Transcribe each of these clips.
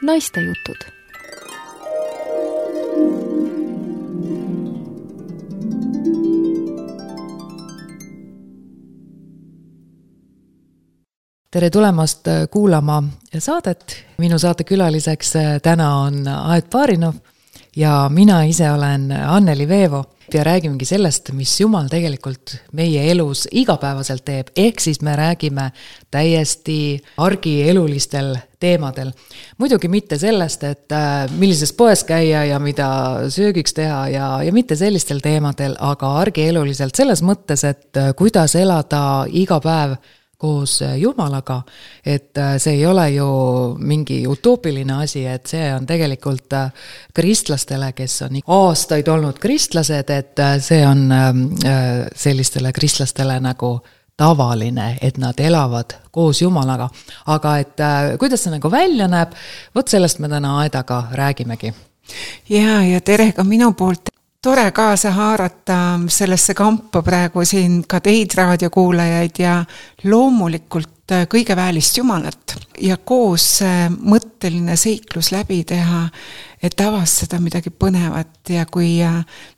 Naistejutud. Tere tulemast kuulama saadet. Minu saate külaliseks täna on Aet Baarinov ja mina ise olen Anneli Veevo ja räägimegi sellest, mis Jumal tegelikult meie elus igapäevaselt teeb. Ehk siis me räägime täiesti argielulistel teemadel. Muidugi mitte sellest, et millises poes käia ja mida söögiks teha ja mitte sellistel teemadel, aga argieluliselt selles mõttes, et kuidas elada iga päev koos Jumalaga, et see ei ole ju mingi utoopiline asi, et see on tegelikult kristlastele, kes on aastaid olnud kristlased, et see on sellistele kristlastele nagu tavaline, et nad elavad koos Jumalaga. Aga et kuidas see nagu välja näeb, vot sellest me täna Aedaga räägimegi. Ja tere ka minu poolt. Tore kaasa haarata sellesse kampa praegu siin ka teid raadiokuulajaid ja loomulikult kõige väelist Jumalat ja koos mõtteline seiklus läbi teha, et avastada midagi põnevat ja kui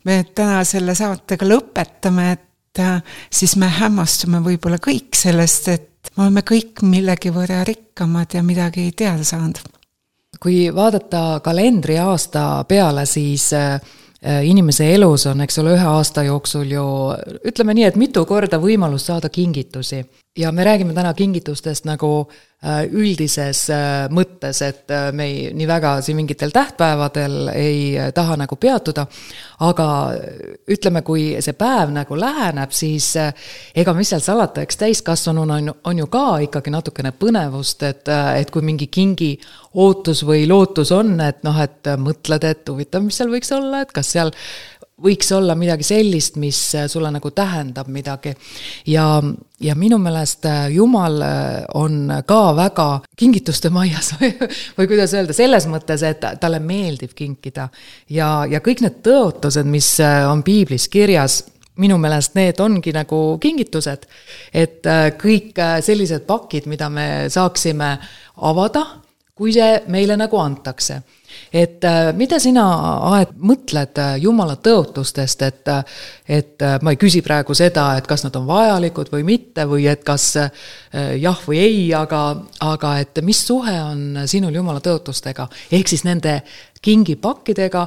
me täna selle saatega lõpetame, et siis me hämmastume võib-olla kõik sellest, et me oleme kõik millegi võrra rikkamad ja midagi teada saanud. Kui vaadata kalendri aasta peale, siis inimese elus on, eks ole, 1 aasta jooksul ju, ütleme nii, et mitu korda võimalus saada kingitusi. Ja me räägime täna kingitustest nagu üldises mõttes, et me nii väga siin mingitel tähtpäevadel ei taha nagu peatuda, aga ütleme, kui see päev nagu läheneb, siis ega mis seal salata, eks täiskasvanuna on ju ka ikkagi natukene põnevust, et kui mingi kingi ootus või lootus on, et mõtled, et huvitav, mis seal võiks olla, et kas seal võiks olla midagi sellist, mis sulle nagu tähendab midagi. Ja minu meelest Jumal on ka väga kingituste maias või kuidas öelda, selles mõttes, et talle meeldib kinkida. Ja kõik need tõotused, mis on piiblis kirjas, minu meelest need ongi nagu kingitused. Et kõik sellised pakid, mida me saaksime avada, kui see meile nagu antakse. Et mida sina, Aet, mõtled Jumala tõotustest, et ma ei küsi praegu seda, et kas nad on vajalikud või mitte, või et kas jah või ei, aga et mis suhe on sinul Jumala tõotustega, ehk siis nende kingipakkidega,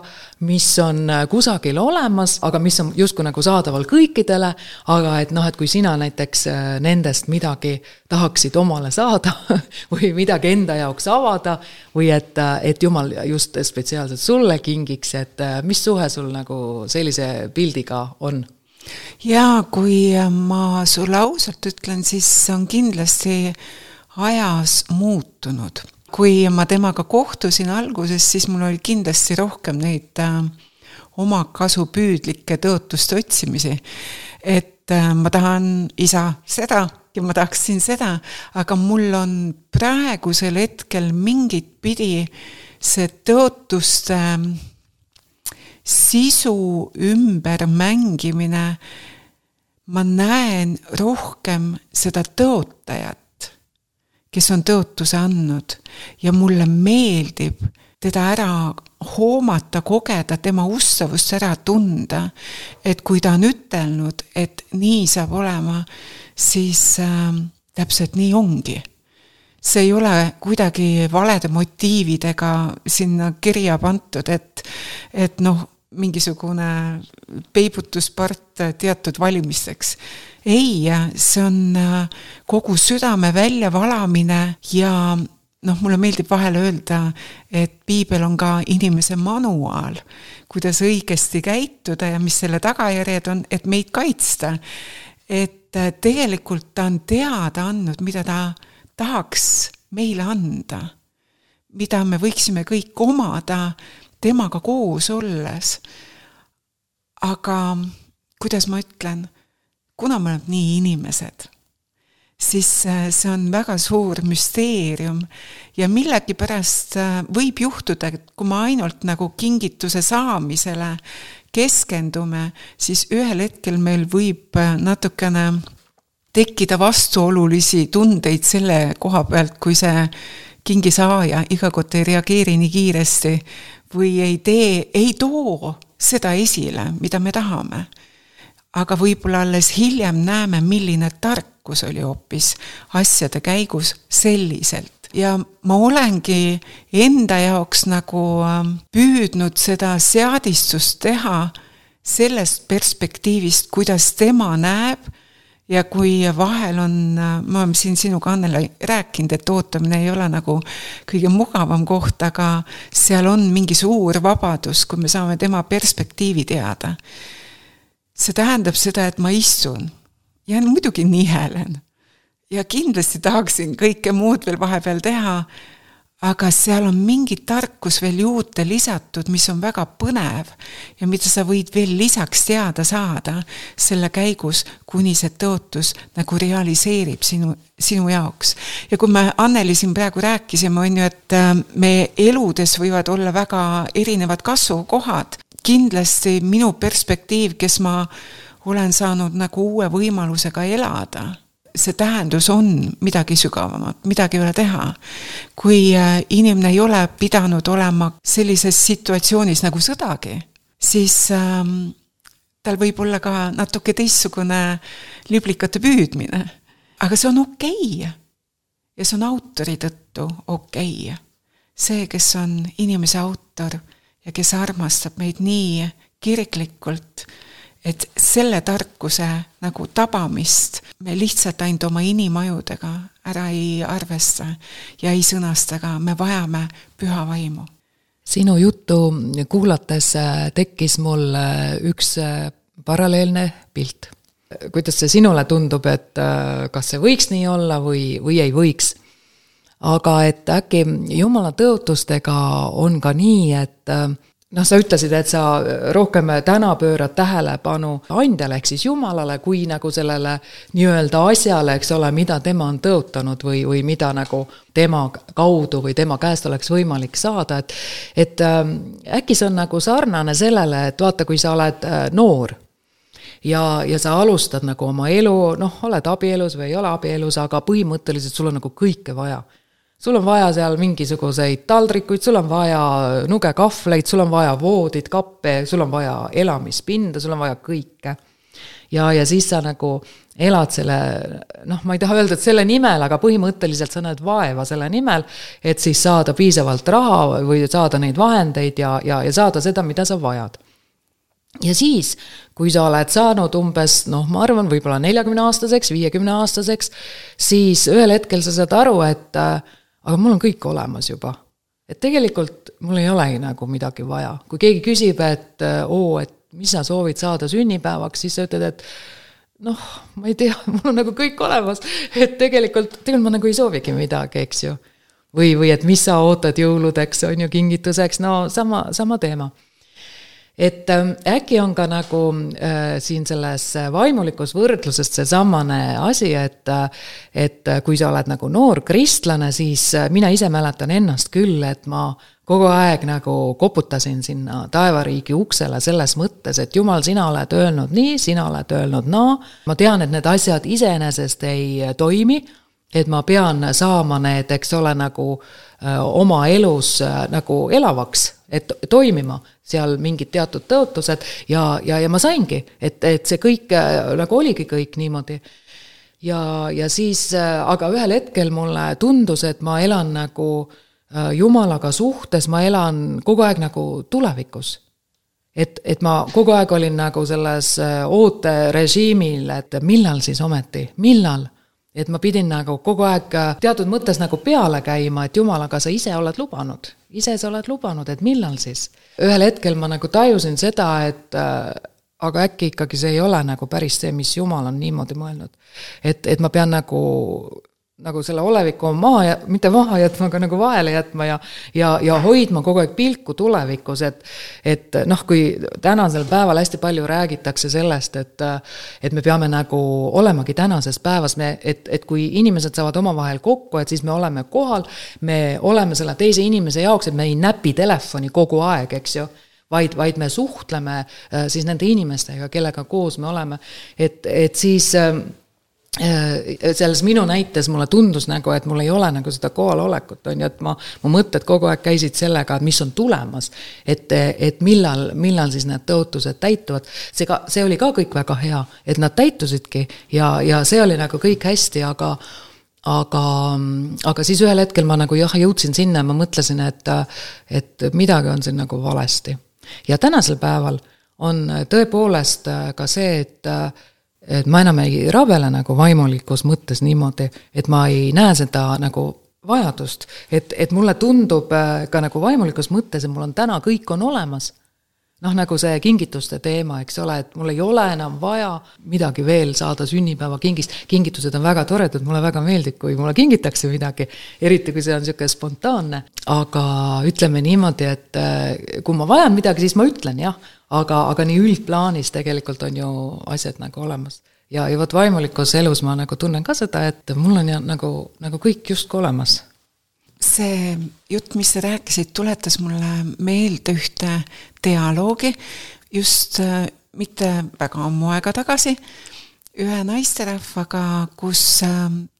mis on kusagil olemas, aga mis on justkui nagu saadaval kõikidele, aga et kui sina näiteks nendest midagi tahaksid omale saada või midagi enda jaoks avada või et Jumal just spetsiaalselt sulle kingiks, et mis suhe sul nagu sellise pildiga on? Ja kui ma sulle ausalt ütlen, siis on kindlasti ajas muutunud. Kui ma temaga kohtusin alguses, siis mul oli kindlasti rohkem neid oma kasupüüdlikke tõotuste otsimisi. Et ma tahan isa seda ja ma tahaksin seda, aga mul on praegusel hetkel mingit pidi see tõotuste sisu ümber mängimine, ma näen rohkem seda tõotajat, kes on tõotuse andnud ja mulle meeldib teda ära hoomata, kogeda, tema ustavust ära tunda, et kui ta on ütelnud, et nii saab olema, siis täpselt nii ongi. See ei ole kuidagi valede motiividega sinna kirja pantud, et mingisugune peibutuspart teatud valimisteks. Ei, see on kogu südame väljavalamine ja mulle meeldib vahel öelda, et piibel on ka inimese manuaal, kuidas õigesti käituda ja mis selle tagajärjed on, et meid kaitsta. Et tegelikult ta on teada andnud, mida ta tahaks meile anda, mida me võiksime kõik omada temaga koos olles. Aga kuidas ma ütlen, kuna me oleme nii inimesed, siis see on väga suur müsteerium ja millegipärast võib juhtuda, et kui ma ainult nagu kingituse saamisele keskendume, siis ühel hetkel meil võib natukene tekkida vastuolulisi tundeid selle koha pealt, kui see kingisaaja iga kord ei reageeri nii kiiresti või ei too seda esile, mida me tahame. Aga võib-olla alles hiljem näeme, milline tarkus oli hoopis asjade käigus selliselt. Ja ma olengi enda jaoks nagu püüdnud seda seadistust teha sellest perspektiivist, kuidas tema näeb. Ja kui vahel on, ma olen siin sinuga Annele rääkinud, et ootamine ei ole nagu kõige mugavam koht, aga seal on mingi suur vabadus, kui me saame tema perspektiivi teada. See tähendab seda, et ma istun ja muidugi nihelen ja kindlasti tahaksin kõike muud veel vahepeal teha, aga seal on mingi tarkus veel juurde lisatud, mis on väga põnev ja mida sa võid veel lisaks teada saada selle käigus, kuni see tõotus nagu realiseerib sinu jaoks. Ja kui me Anneli siin praegu rääkisime, on ju, et me eludes võivad olla väga erinevad kasvukohad. Kindlasti minu perspektiiv, kes ma olen saanud nagu uue võimalusega elada, see tähendus on midagi sügavamat, midagi ei ole teha. Kui inimene ei ole pidanud olema sellises situatsioonis nagu sõdagi, siis tal võib olla ka natuke teistsugune liblikate püüdmine. Aga see on okei. Ja see on autori tõttu okei. See, kes on inimese autor ja kes armastab meid nii kiriklikult, et selle tarkuse nagu tabamist me lihtsalt ainult oma inimajudega ära ei arvesta ja ei sõnastaga, me vajame püha vaimu. Sinu juttu kuulates tekkis mul üks paralleelne pilt. Kuidas see sinule tundub, et kas see võiks nii olla või ei võiks? Aga et äkki Jumala tõotustega on ka nii, et sa ütlesid, et sa rohkem täna pöörad tähelepanu andjale ehk siis Jumalale kui nagu sellele nii-öelda asjale, eks ole, mida tema on tõotanud või mida nagu tema kaudu või tema käest oleks võimalik saada. Et äkki see on nagu sarnane sellele, et vaata, kui sa oled noor ja sa alustad nagu oma elu, oled abielus või ei ole abielus, aga põhimõtteliselt sul on nagu kõike vaja. Sul on vaja seal mingisuguseid taldrikuid, sul on vaja nugekahvleid, sul on vaja voodid, kappe, sul on vaja elamispinda, sul on vaja kõike. Ja siis sa nagu elad selle, ma ei taha öelda, et selle nimel, aga põhimõtteliselt sa näed vaeva selle nimel, et siis saada piisavalt raha või saada neid vahendeid ja saada seda, mida sa vajad. Ja siis, kui sa oled saanud umbes, ma arvan, võib-olla 40-aastaseks, 50-aastaseks, siis ühel hetkel sa saad aru, et aga mul on kõik olemas juba. Et tegelikult mul ei olegi nagu midagi vaja. Kui keegi küsib, et mis sa soovid saada sünnipäevaks, siis sa ütled, et ma ei tea, mul on nagu kõik olemas. Et tegelikult ma nagu ei soovigi midagi, eks ju. Või et mis sa ootad jõuludeks, on ju kingituseks, sama teema. Et äkki on ka nagu siin selles vaimulikus võrdlusest see samane asi, et kui sa oled nagu noor kristlane, siis mina ise mäletan ennast küll, et ma kogu aeg nagu koputasin sinna taevariigi uksele selles mõttes, et Jumal, sina oled öelnud nii, sina oled öelnud naa. Ma tean, et need asjad iseenesest ei toimi, et ma pean saama need, eks ole, nagu oma elus nagu elavaks, et toimima seal mingid teatud tõotused ja ma saingi, et see kõik nagu oligi kõik niimoodi. Ja siis, aga ühel hetkel mulle tundus, et ma elan nagu Jumalaga suhtes, ma elan kogu aeg nagu tulevikus. Et ma kogu aeg olin nagu selles ooterežiimil, et millal siis ometi, millal? Et ma pidin nagu kogu aeg teatud mõttes nagu peale käima, et Jumalaga sa ise oled lubanud. Ise sa oled lubanud, et millal siis? Ühel hetkel ma nagu tajusin seda, et aga äkki ikkagi see ei ole nagu päris see, mis Jumal on niimoodi mõelnud. Et ma pean nagu selle oleviku mitte maha jätma, aga nagu vahele jätma ja hoidma kogu aeg pilku tulevikus, et kui tänasel päeval hästi palju räägitakse sellest, et me peame nagu olemagi tänases päevas, et kui inimesed saavad omavahel kokku, et siis me oleme kohal, me oleme selle teise inimese jaoks, et me ei näpi telefoni kogu aeg, eks ju, vaid me suhtleme siis nende inimestega, kellega koos me oleme, et siis selles minu näites mulle tundus nagu, et mul ei ole nagu seda kohalolekut, on ju, et mu mõtted kogu aeg käisid sellega, et mis on tulemas, et millal siis need tõotused täituvad. See oli ka kõik väga hea, et nad täitusidki ja see oli nagu kõik hästi, aga siis ühel hetkel ma nagu jõudsin sinna ja ma mõtlesin, et midagi on siin nagu valesti. Ja tänasel päeval on tõepoolest ka see, et ma enam ei rabele nagu vaimulikus mõttes niimoodi, et ma ei näe seda nagu vajadust, et mulle tundub ka nagu vaimulikus mõttes, et mul on täna kõik on olemas. Nagu see kingituste teema, eks ole, et mul ei ole enam vaja midagi veel saada sünnipäeva kingist. Kingitused on väga toredad, mulle väga meeldib, kui mulle kingitakse midagi, eriti kui see on niisugune spontaanne. Aga ütleme niimoodi, et kui ma vajan midagi, siis ma ütlen jah, aga nii üldplaanis tegelikult on ju asjad nagu olemas. Ja võt vaimulikus elus ma nagu tunnen ka seda, et mul on nagu kõik just olemas. See jutt, mis sa rääkisid, tuletas mulle meelde ühte dialoogi just mitte väga ammu aega tagasi ühe naisterahvaga, kus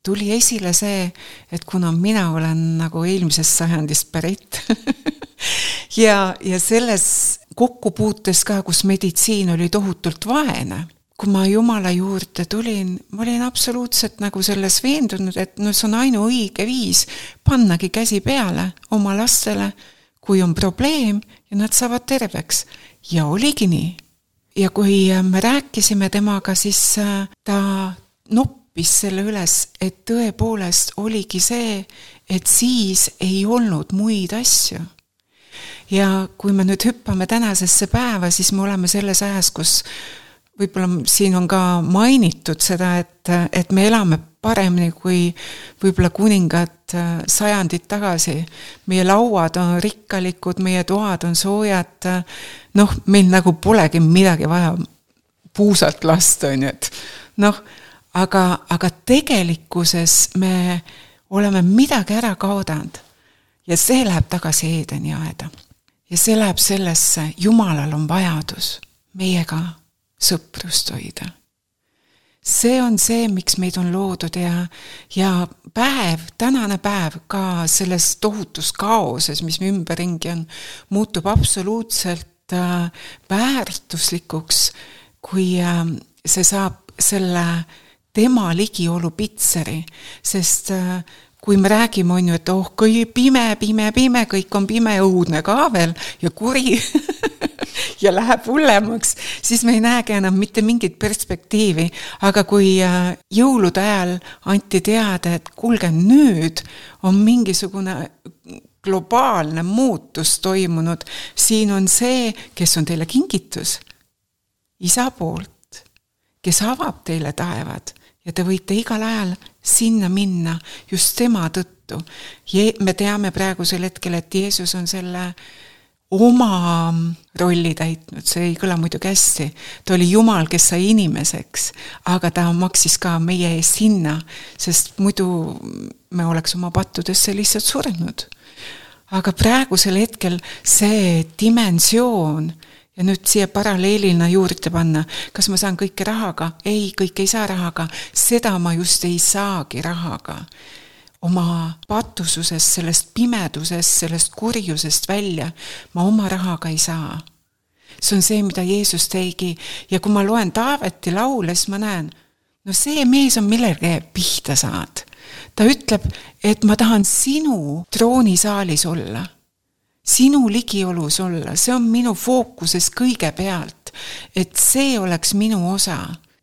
tuli esile see, et kuna mina olen nagu eelmisest sajandist pärit ja selles kokkupuutes ka, kus meditsiin oli tohutult vaene, kui ma Jumala juurde tulin, ma olin absoluutselt nagu selles veendunud, et see on ainuõige viis pannagi käsi peale oma lastele, kui on probleem ja nad saavad terveks. Ja oligi nii. Ja kui me rääkisime temaga, siis ta noppis selle üles, et tõepoolest oligi see, et siis ei olnud muid asju. Ja kui me nüüd hüppame tänasesse päeva, siis me oleme selles ajas, kus võib-olla siin on ka mainitud seda, et me elame paremini kui võib-olla kuningad sajandid tagasi. Meie lauad on rikkalikud, meie toad on soojad, meil nagu polegi midagi vaja puusalt lasta, aga tegelikkuses me oleme midagi ära kaodanud ja see läheb tagasi Eedeni aeda. Ja see läheb sellesse, Jumalal on vajadus meiega sõprust hoida. See on see, miks meid on loodud ja tänane päev ka selles tohutus kaoses, mis me ümberringi on, muutub absoluutselt väärtuslikuks, kui see saab selle tema ligiolu pitseri, sest kui me räägime, on ju, et kui pime, kõik on pime, õudne ka veel ja kuri ja läheb hullemaks, siis me ei näegi enam mitte mingit perspektiivi. Aga kui jõulude ajal anti teada, et kuulge, nüüd on mingisugune globaalne muutus toimunud, siin on see, kes on teile kingitus, isa poolt, kes avab teile taevad ja te võite igal ajal sinna minna just tema tõttu. Me teame praegusel hetkel, et Jeesus on selle oma rolli täitnud, see ei kõla muidugi hästi. Ta oli Jumal, kes sai inimeseks, aga ta maksis ka meie eest hinna, sest muidu me oleks oma pattudesse lihtsalt surnud. Aga praegusel hetkel see dimensioon, ja nüüd siia paralleelina juurde panna, kas ma saan kõike rahaga? Ei, kõik ei saa rahaga. Seda ma just ei saagi rahaga. Oma patususest, sellest pimedusest, sellest kurjusest välja ma oma rahaga ei saa. See on see, mida Jeesus tegi. Ja kui ma loen Taaveti laule, siis ma näen, see mees on millegi pihta saad. Ta ütleb, et ma tahan sinu troonisaalis olla. Sinu ligiolus olla. See on minu fookuses kõige pealt. Et see oleks minu osa.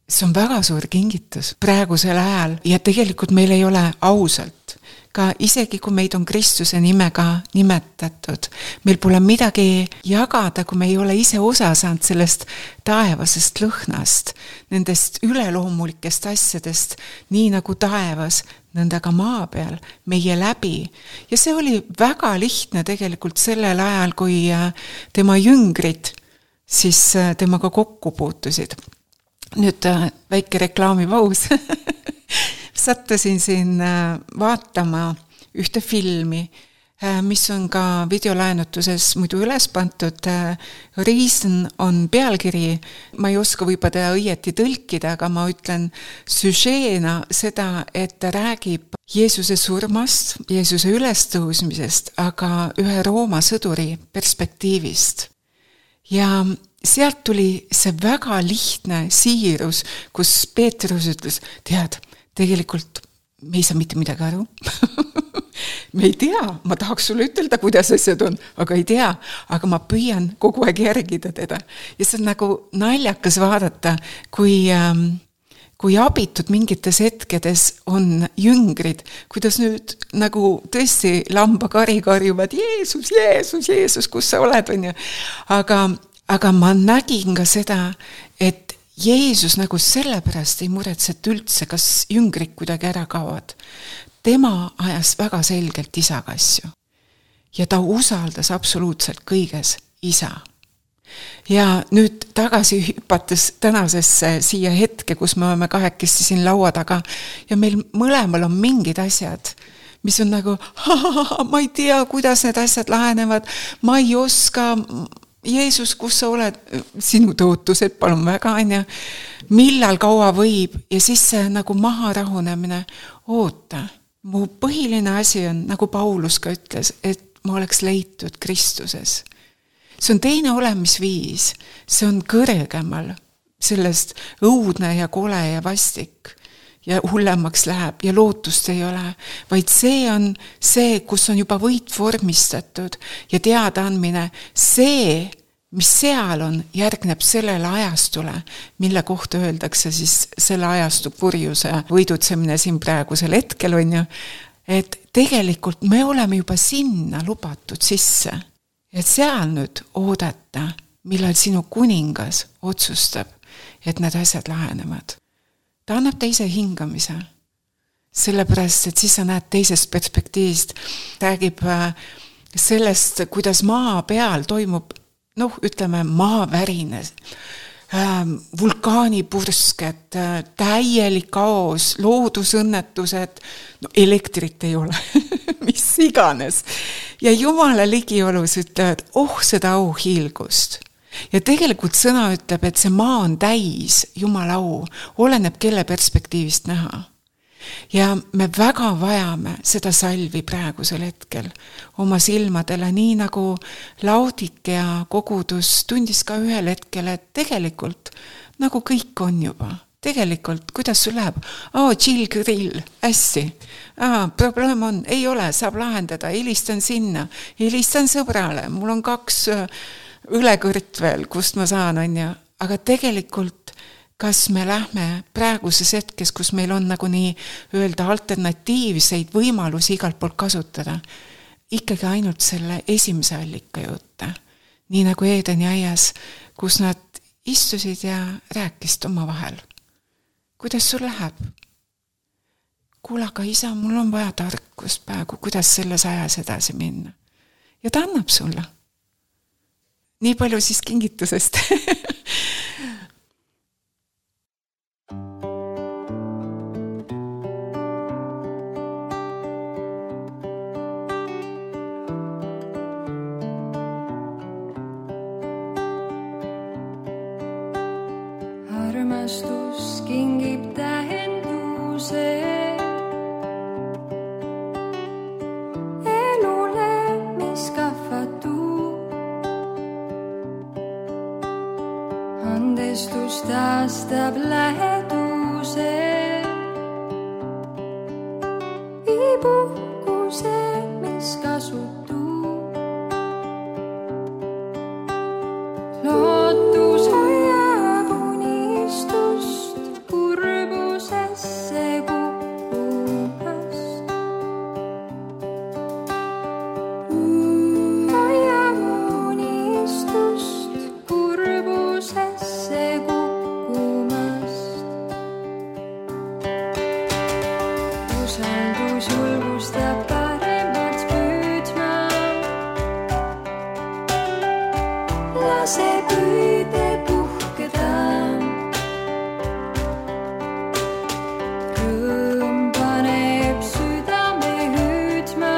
See on väga suur kingitus praegusel ajal ja tegelikult meil ei ole ausalt. Ka isegi kui meid on Kristuse nimega nimetatud, meil pole midagi jagada, kui me ei ole ise osa saanud sellest taevasest lõhnast, nendest üleloomulikest asjadest, nii nagu taevas, nõnda ka maa peal, meie läbi. Ja see oli väga lihtne tegelikult sellel ajal, kui tema jüngrid siis temaga kokku puutusid. Nüüd väike reklaamipaus. Sattusin siin vaatama ühte filmi. mis on ka videolaenutuses muidu üles pantud. Reason on pealkiri, ma ei oska võib-olla teda õieti tõlkida, aga ma ütlen süžeena seda, et ta räägib Jeesuse surmast, Jeesuse ülestõusmisest, aga ühe Rooma sõduri perspektiivist. Ja sealt tuli see väga lihtne siirus, kus Peetrus ütles, tead, tegelikult me ei saa mitte midagi aru. Me ei tea, ma tahaks sulle ütelda, kuidas asjad on, aga ei tea, aga ma püüan kogu aeg järgida teda. Ja see on nagu naljakas vaadata, kui abitud mingites hetkedes on jüngrid, kuidas nüüd nagu tõesti lambakari karjuvad, Jeesus, Jeesus, Jeesus, kus sa oled, on ju. Aga ma nägin ka seda, et Jeesus nagu sellepärast ei muretset üldse, kas jüngrid kuidagi ära kaovad. Tema ajas väga selgelt isaga asju. Ja ta usaldas absoluutselt kõiges isa. Ja nüüd tagasi hüpates tänasesse siia hetke, kus me oleme kahekesti siin laua taga ja meil mõlemal on mingid asjad, mis on nagu, ma ei tea, kuidas need asjad lahenevad, ma ei oska, Jeesus, kus sa oled, sinu tõotused, palun väga, millal kaua võib ja siis see nagu maha rahunemine, oota, mu põhiline asi on, nagu Paulus ka ütles, et ma oleks leitud Kristuses. See on teine olemisviis, see on kõrgemal, sellest õudne ja kole ja vastik ja hullemaks läheb ja lootust ei ole, vaid see on see, kus on juba võit vormistatud ja teadaandmine, see, mis seal on, järgneb sellele ajastule, mille kohta öeldakse siis selle ajastu kurjuse võidutsemine siin praegusel hetkel on ju, et tegelikult me oleme juba sinna lubatud sisse, et seal nüüd oodata, millal sinu kuningas otsustab, et need asjad lahenevad. Ta annab teise hingamise, sellepärast, et siis sa näed teisest perspektiivist, räägib sellest, kuidas maa peal toimub ütleme maavärines, vulkaanipursked, täielik kaos, loodusõnnetused, elektrit ei ole, mis iganes. Ja Jumala ligiolus ütlevad, seda auhiilgust. Ja tegelikult sõna ütleb, et see maa on täis Jumala au, oleneb kelle perspektiivist näha. Ja me väga vajame seda salvi praegusel hetkel oma silmadele, nii nagu Laodikea kogudus tundis ka ühel hetkel, et tegelikult nagu kõik on juba. Tegelikult, kuidas sul läheb? Chill grill, hästi. Probleem on, ei ole, saab lahendada, helistan sinna, helistan sõbrale, mul on 2 õlekõrt veel, kust ma saan, on ju. Aga tegelikult kas me lähme praeguses hetkes, kus meil on nagu nii öelda alternatiivseid võimalusi igalt poolt kasutada, ikkagi ainult selle esimese allika juurde. Nii nagu Eedeni aias, kus nad istusid ja rääkisid oma vahel. Kuidas sul läheb? Kuule, aga isa, mul on vaja tarkust praegu, kuidas selles ajas edasi minna. Ja ta annab sulle. Nii palju siis kingitusest. Armastus kingib tähenduse elule, mis kahvatub. Andestus taastab läheduse, viib uhkuse, mis kasutub. Lootus hoiab unistust kurbusesse kukkumast. Hoiab unistust kurbusesse kukkumast. Usaldus julgustab paremaks püüdma. Lase püüde puhkeda. Rõõm paneb südame hüüdma.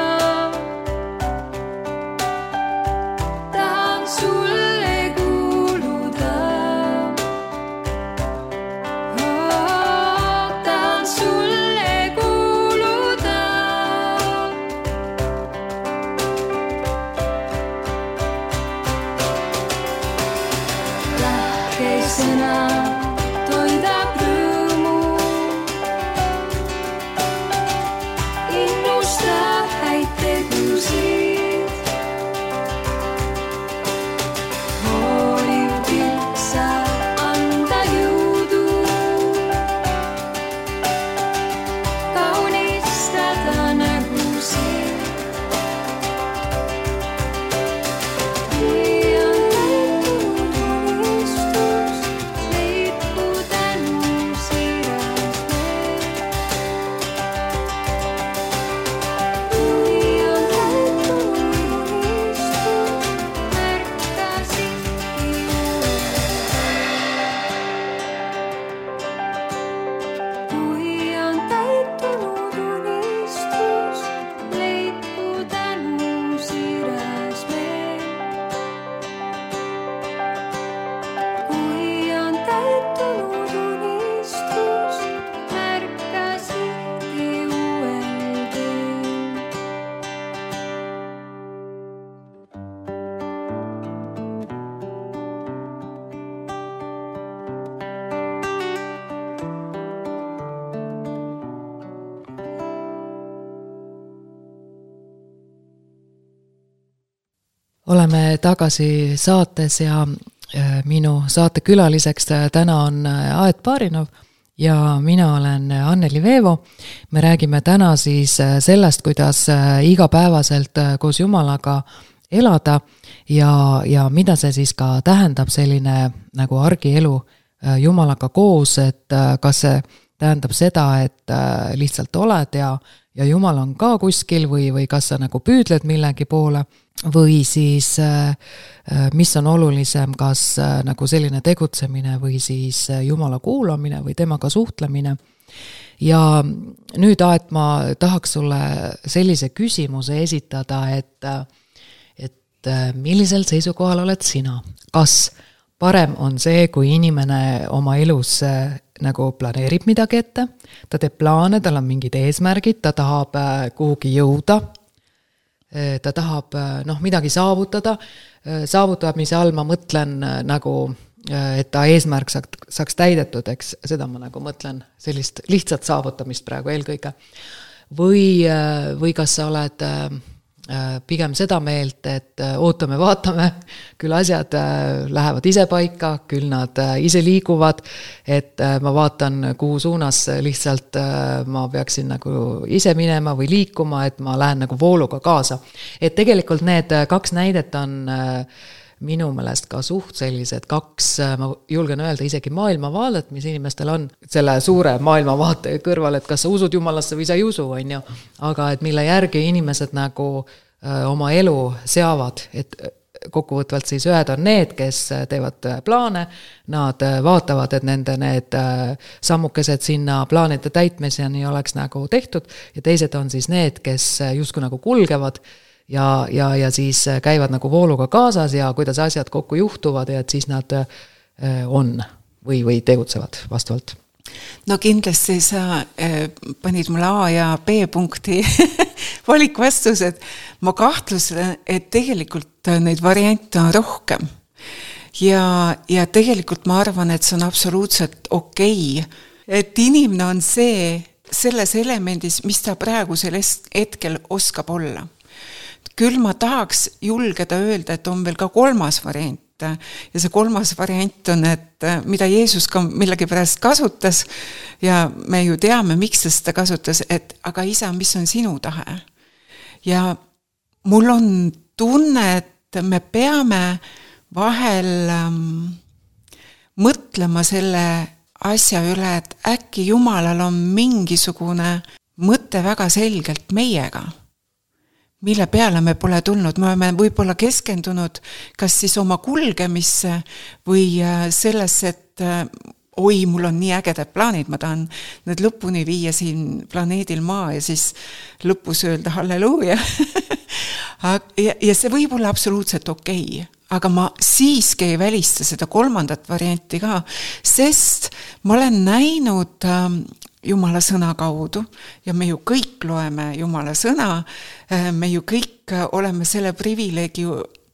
oleme tagasi saates ja minu saate külaliseks täna on Aet Barinov ja mina olen Anneli Veevo. Me räägime täna siis sellest, kuidas igapäevaselt koos Jumalaga elada ja mida see siis ka tähendab selline nagu argielu Jumalaga koos, et kas see tähendab seda, et lihtsalt oled ja Jumal on ka kuskil või kas sa nagu püüdled millegi poole või siis mis on olulisem, kas nagu selline tegutsemine või siis Jumala kuulamine või temaga suhtlemine. Ja nüüd, Aet, ma tahaks sulle sellise küsimuse esitada, et millisel seisukohal oled sina? Kas parem on see, kui inimene oma elus nagu planeerib midagi ette, ta teeb plaane, tal on mingid eesmärgid, ta tahab kuhugi jõuda, ta tahab midagi saavutamise all ma mõtlen nagu, et ta eesmärk saaks täidetud, eks seda ma nagu mõtlen sellist lihtsat saavutamist praegu eelkõige. Või kas sa oled pigem seda meelt, et ootame, vaatame, küll asjad lähevad ise paika, küll nad ise liiguvad, et ma vaatan, kuhu suunas lihtsalt ma peaksin nagu ise minema või liikuma, et ma lähen nagu vooluga kaasa. Et tegelikult need kaks näidet on minu meelest ka suht sellised kaks, ma julgen öelda isegi maailmavaadet, mis inimestel on selle suure maailmavaate kõrval, et kas sa usud Jumalasse või sa ei usu, on ju. Aga et mille järgi inimesed nagu oma elu seavad, et kokkuvõtvalt siis ühed on need, kes teevad plaane, nad vaatavad, et nende need sammukesed sinna plaanide täitmiseni oleks nagu tehtud ja teised on siis need, kes justkui nagu kulgevad ja siis käivad nagu vooluga kaasas ja kuidas asjad kokku juhtuvad ja et siis nad on või tegutsevad vastavalt. No kindlasti sa panid mulle A ja B punkti valikvastused. Ma kahtlusen, et tegelikult neid variante on rohkem. Ja tegelikult ma arvan, et see on absoluutselt okei. Et inimene on selles elemendis, mis ta praegusel hetkel oskab olla. Küll ma tahaks julgeda öelda, et on veel ka kolmas variant. Ja see kolmas variant on, et mida Jeesus ka millegipärast kasutas ja me ju teame, miks ta seda kasutas, et aga isa, mis on sinu tahe? Ja mul on tunne, et me peame vahel mõtlema selle asja üle, et äkki Jumalal on mingisugune mõte väga selgelt meiega, mille peale me pole tulnud. Me oleme võib-olla keskendunud kas siis oma kulgemisse või sellesse, et oi, mul on nii ägedad plaanid, ma tahan need lõpuni viia siin planeedil Maa ja siis lõpus öelda halleluuja. Ja see võib olla absoluutselt okei. Aga ma siiski ei välista seda kolmandat varianti ka, sest ma olen näinud Jumala sõna kaudu ja me ju kõik loeme Jumala sõna, me ju kõik oleme selle privileegi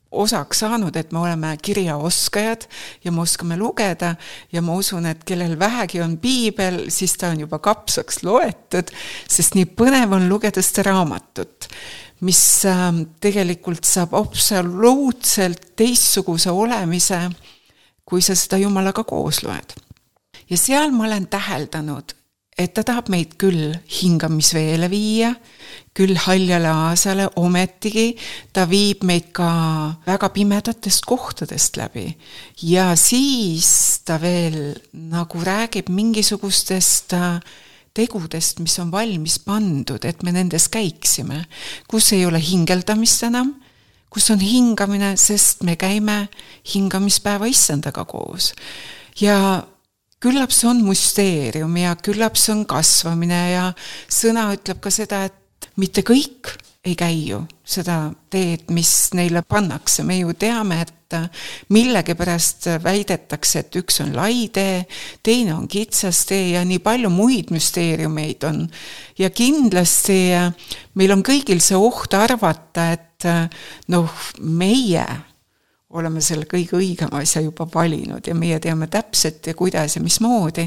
osaks saanud, et me oleme kirjaoskajad ja me oskame lugeda ja ma usun, et kellel vähegi on piibel, siis ta on juba kapsaks loetud, sest nii põnev on lugeda seda raamatut, mis tegelikult saab absoluutselt teistsuguse olemise, kui sa seda Jumalaga koos loed. Ja seal ma olen täheldanud, et ta tahab meid küll hingamisveele viia, küll haljale aasale, ometigi ta viib meid ka väga pimedatest kohtadest läbi. Ja siis ta veel nagu räägib mingisugustest tegudest, mis on valmis pandud, et me nendes käiksime, kus ei ole hingeldamist enam, kus on hingamine, sest me käime hingamispäeva issandaga koos. Ja küllap see on müsteerium ja küllap see on kasvamine ja sõna ütleb ka seda, et mitte kõik ei käi ju seda teed, mis neile pannakse. Me ju teame, et millegipärast väidetakse, et üks on lai tee, teine on kitsas tee ja nii palju muid müsteeriumeid on. Ja kindlasti meil on kõigil see oht arvata, et meie oleme selle kõige õigema asja juba valinud ja meie teame täpselt ja kuidas ja mismoodi,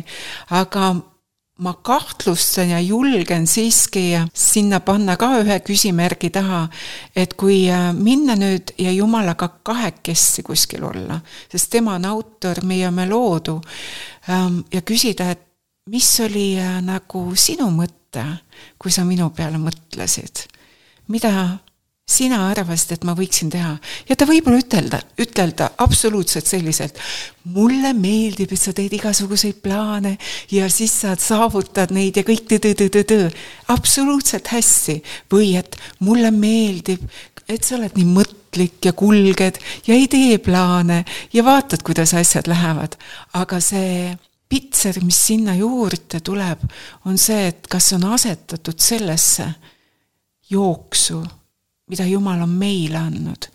aga ma kahtlustan ja julgen siiski sinna panna ka ühe küsimärgi taha, et kui minna nüüd ja Jumalaga kahekesti kuskil olla, sest tema on autor, meie me loodu, ja küsida, et mis oli nagu sinu mõte, kui sa minu peale mõtlesid? Mida sina arvasid, et ma võiksin teha? Ja ta võib-olla ütelda absoluutselt selliselt, mulle meeldib, et sa teed igasuguseid plaane ja siis sa saavutad neid ja kõik absoluutselt hästi. Või et mulle meeldib, et sa oled nii mõtlik ja kulged ja ei tee plaane ja vaatad, kuidas asjad lähevad. Aga see pitser, mis sinna juurde tuleb, on see, et kas on asetatud sellesse jooksu, mida Jumal on meile andnud.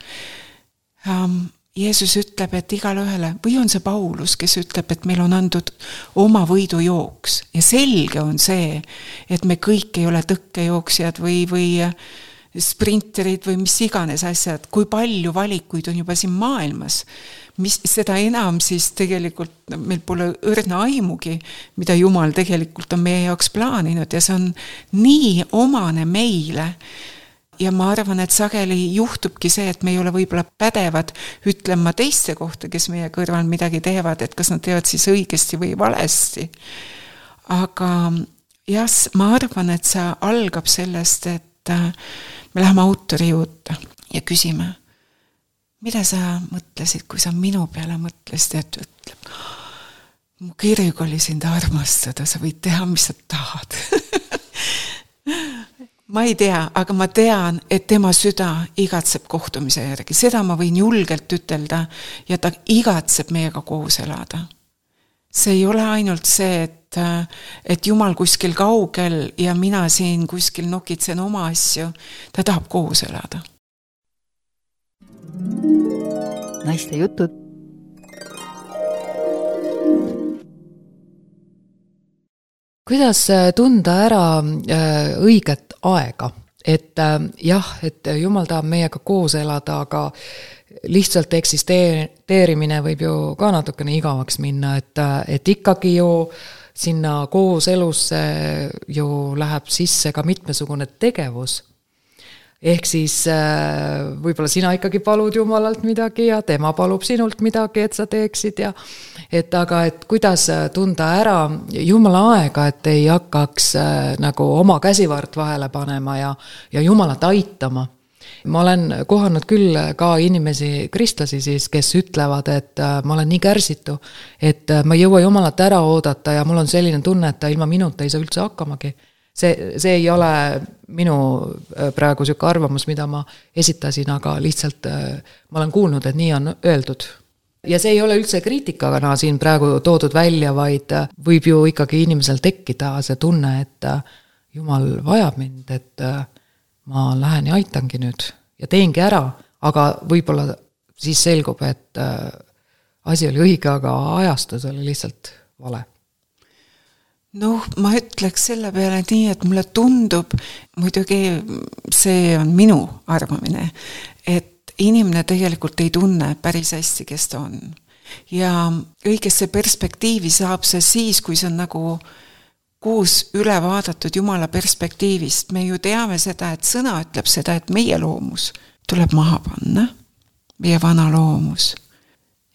Jeesus ütleb, et igale ühele, või on see Paulus, kes ütleb, et meil on andud oma võidujooks. Ja selge on see, et me kõik ei ole tõkkejooksjad või sprinterid või mis iganes asjad. Kui palju valikuid on juba siin maailmas, seda enam siis tegelikult meil pole õrna aimugi, mida Jumal tegelikult on meie jaoks plaaninud ja see on nii omane meile. Ja ma arvan, et sageli juhtubki see, et me ei ole võib-olla pädevad ütlema teiste kohta, kes meie kõrval midagi teevad, et kas nad teevad siis õigesti või valesti. Aga jah, ma arvan, et see algab sellest, et me läheme autori juurde ja küsime, mida sa mõtlesid, kui sa minu peale mõtlesid, et ütleb, mu kirg oli sind armastada, sa võid teha, mis sa tahad. Ma ei tea, aga ma tean, et tema süda igatseb kohtumise järgi. Seda ma võin julgelt ütelda ja ta igatseb meiega koos elada. See ei ole ainult see, et Jumal kuskil kaugel ja mina siin kuskil nokitsen oma asju. Ta tahab koos elada. Naiste jutud. Kuidas tunda ära õiget aega? Et jah, et Jumal tahab meiega koos elada, aga lihtsalt eksisteerimine võib ju ka natukene igavaks minna, et ikkagi ju sinna koos elusse ju läheb sisse ka mitmesugune tegevus. Ehk siis võib-olla sina ikkagi palud Jumalalt midagi ja tema palub sinult midagi, et sa teeksid ja aga kuidas tunda ära Jumala aega, et ei hakkaks nagu oma käsivart vahele panema ja Jumalat aitama. Ma olen kohanud küll ka inimesi, kristlasi siis, kes ütlevad, et ma olen nii kärsitu, et ma ei jõua Jumalat ära oodata ja mul on selline tunne, et ta ilma minuta ei saa üldse hakkamagi. See ei ole minu praegu selline arvamus, mida ma esitasin, aga lihtsalt ma olen kuulnud, et nii on öeldud. Ja see ei ole üldse kriitikana siin praegu toodud välja, vaid võib ju ikkagi inimesel tekkida see tunne, et Jumal vajab mind, et ma lähen ja aitangi nüüd ja teengi ära, aga võib-olla siis selgub, et asi oli õige, aga ajastus oli lihtsalt vale. Noh, ma ütleks selle peale nii, et mulle tundub, muidugi see on minu arvamine, et inimene tegelikult ei tunne päris hästi, kes ta on. Ja õigesse perspektiivi saab see siis, kui see on nagu koos üle vaadatud Jumala perspektiivist. Me ju teame seda, et sõna ütleb seda, et meie loomus tuleb maha panna, meie vana loomus.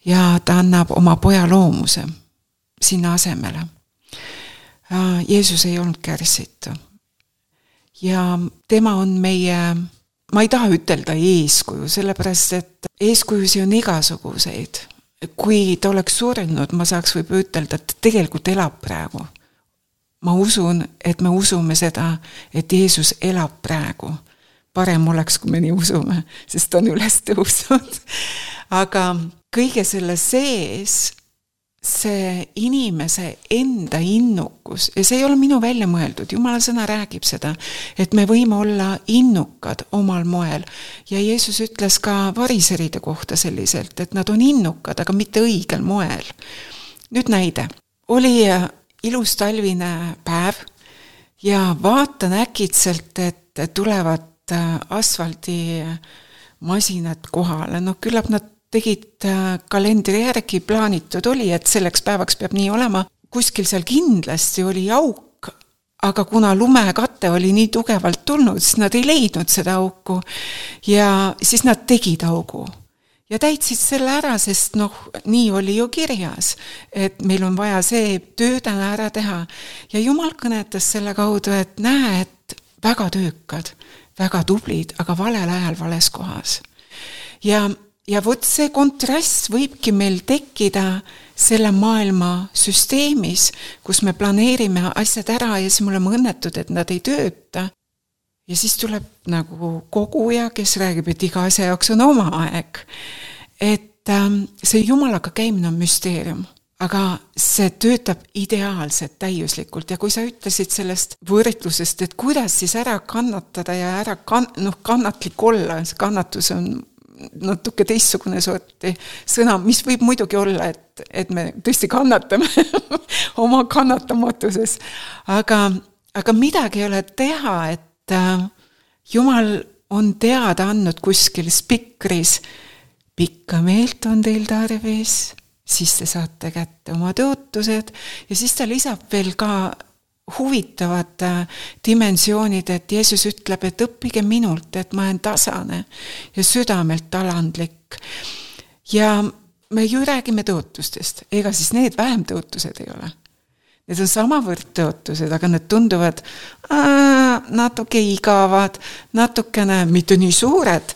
Ja ta annab oma poja loomuse sinna asemele. Jeesus ei olnud kärsitu. Ja tema on meie, ma ei taha ütelda eeskuju, sellepärast, et eeskujusi on igasuguseid. Kui ta oleks surnud, ma saaks võib ütelda, et tegelikult elab praegu. Ma usun, et me usume seda, et Jeesus elab praegu. Parem oleks, kui me nii usume, sest ta on üles tõusnud. Aga kõige selle sees see inimese enda innukus, ja see ei ole minu välja mõeldud, Jumala sõna räägib seda, et me võime olla innukad omal moel. Ja Jeesus ütles ka variseride kohta selliselt, et nad on innukad, aga mitte õigel moel. Nüüd näide. Oli ilus talvine päev ja vaatan äkitselt, et tulevad asfaldi masinad kohale. No küllap nad tegid kalendri järgi, plaanitud oli, et selleks päevaks peab nii olema. Kuskil seal kindlasti oli auk aga kuna lumekate oli nii tugevalt tulnud, siis nad ei leidnud seda auku ja siis nad tegid augu. Ja täitsid selle ära, sest nii oli ju kirjas, et meil on vaja see töö täna ära teha. Ja Jumal kõnetas selle kaudu, et näe, et väga töökad, väga tublid, aga valel ajal vales kohas. Ja vot see kontrast võibki meil tekkida selle maailma süsteemis, kus me planeerime asjad ära ja siis me oleme õnnetud, et nad ei tööta. Ja siis tuleb nagu koguja, kes räägib, et iga asja jaoks on oma aeg. Et see Jumalaga käimine on müsteerium, aga see töötab ideaalselt, täiuslikult. Ja kui sa ütlesid sellest võrdlusest, et kuidas siis ära kannatada ja ära kannatlik olla, see kannatus on natuke teistsugune sorti sõna, mis võib muidugi olla, et me tõesti kannatame oma kannatamatuses. Aga midagi ei ole teha, et Jumal on teada andnud kuskil spikris, pikka meelt on teil tarvis, siis te saate kätte oma tõotused ja siis ta lisab veel ka huvitavad dimensioonid, et Jeesus ütleb, et õppige minult, et ma olen tasane ja südamelt alandlik. Ja me ju räägime tõotustest, ega siis need vähem tõotused ei ole. Need on samavõrd tõotused, aga need tunduvad natuke igavad, natukene mitte nii suured,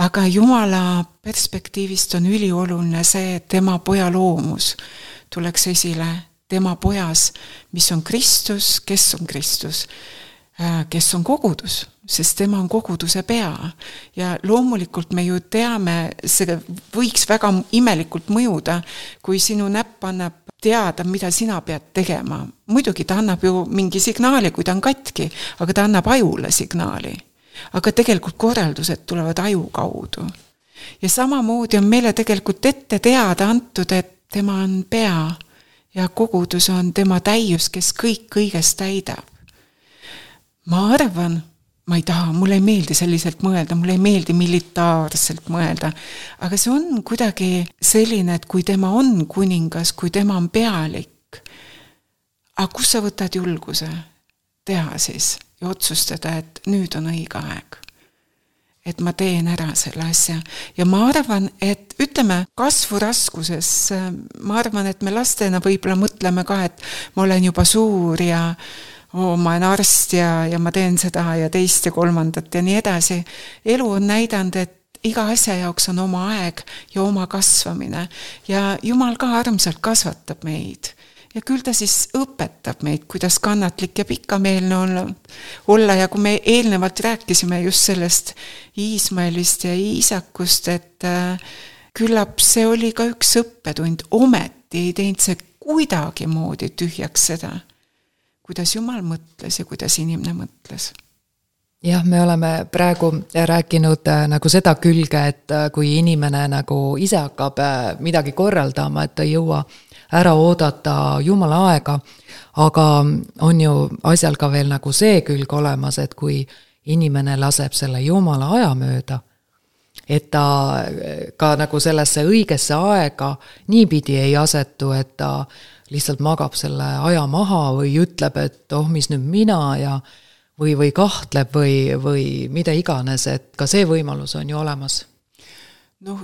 aga Jumala perspektiivist on ülioluline see, et tema poja loomus tuleks esile, tema pojas, mis on Kristus, kes on Kristus, kes on kogudus, sest tema on koguduse pea. Ja loomulikult me ju teame, see võiks väga imelikult mõjuda, kui sinu näpp annab teada, mida sina pead tegema. Muidugi ta annab ju mingi signaali, kui ta on katki, aga ta annab ajule signaali. Aga tegelikult korraldused tulevad aju kaudu. Ja samamoodi on meile tegelikult ette teada antud, et tema on pea ja kogudus on tema täius, kes kõik kõigest täidab. Ma arvan, ma ei taha, mulle ei meeldi selliselt mõelda, mulle ei meeldi militaarselt mõelda, aga see on kuidagi selline, et kui tema on kuningas, kui tema on pealik, aga kus sa võtad julguse teha siis ja otsustada, et nüüd on õige aeg, et ma teen ära selle asja. Ja ma arvan, et ütleme kasvu raskuses, ma arvan, et me lastena võib-olla mõtleme ka, et ma olen juba suur ja ma olen arst ja ma teen seda ja teist ja kolmandat ja nii edasi. Elu on näidanud, et iga asja jaoks on oma aeg ja oma kasvamine ja Jumal ka armsalt kasvatab meid. Ja küll ta siis õpetab meid, kuidas kannatlik ja pikameelne olla. Ja kui me eelnevalt rääkisime just sellest Iismaelist ja Iisakust, et küllap see oli ka üks õppetund. Ometi ei teinud see kuidagi moodi tühjaks seda, kuidas Jumal mõtles ja kuidas inimene mõtles. Jah, me oleme praegu rääkinud nagu seda külge, et kui inimene nagu ise hakkab midagi korraldama, et ta ei jõua ära oodata Jumala aega, aga on ju asjal ka veel nagu see külg olemas, et kui inimene laseb selle Jumala aja mööda, et ta ka nagu sellesse õigesse aega niipidi ei asetu, et ta lihtsalt magab selle aja maha või ütleb, et mis nüüd mina ja või kahtleb või mida iganes, et ka see võimalus on ju olemas.